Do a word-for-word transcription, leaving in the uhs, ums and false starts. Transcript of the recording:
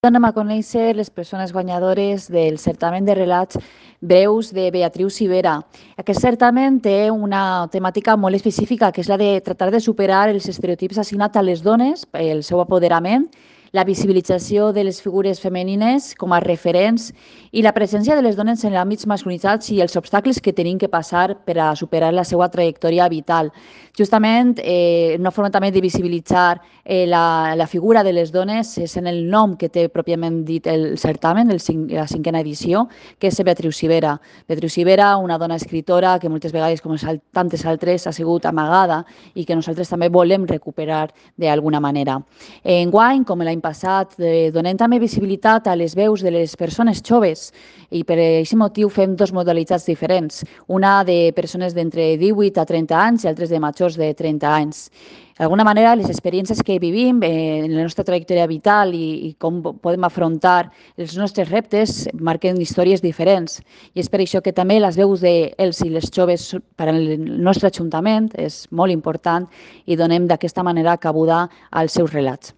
Anem a conèixer les persones guanyadores del certamen de relats breus de Beatriu Civera. Aquest certamen té una temàtica molt específica, que és la de tratar de superar els estereotips assignats a les dones, el seu apoderament, la visibilització de les figures femenines com a referents i la presència de les dones en àmbits masculinitzats i els obstacles que tenim que passar per a superar la seva trajectòria vital. Justament, eh, una forma també de visibilitzar eh, la, la figura de les dones és en el nom que té pròpiament dit el certamen, el cinc, la cinquena edició, que és Beatriu Civera. Beatriu Civera, una dona escritora que moltes vegades, com tantes altres, ha sigut amagada i que nosaltres també volem recuperar d'alguna manera. Enguany, com l'any passat, eh, donem també visibilitat a les veus de les persones joves i per aquest motiu fem dues modalitats diferents, una de persones d'entre divuit a trenta anys i altres de majors de trenta anys. D'alguna manera, les experiències que vivim eh, en la nostra trajectòria vital i, i com podem afrontar els nostres reptes marquen històries diferents. I és per això que també les veus dels i les joves per al nostre Ajuntament és molt important i donem d'aquesta manera cabuda als seus relats.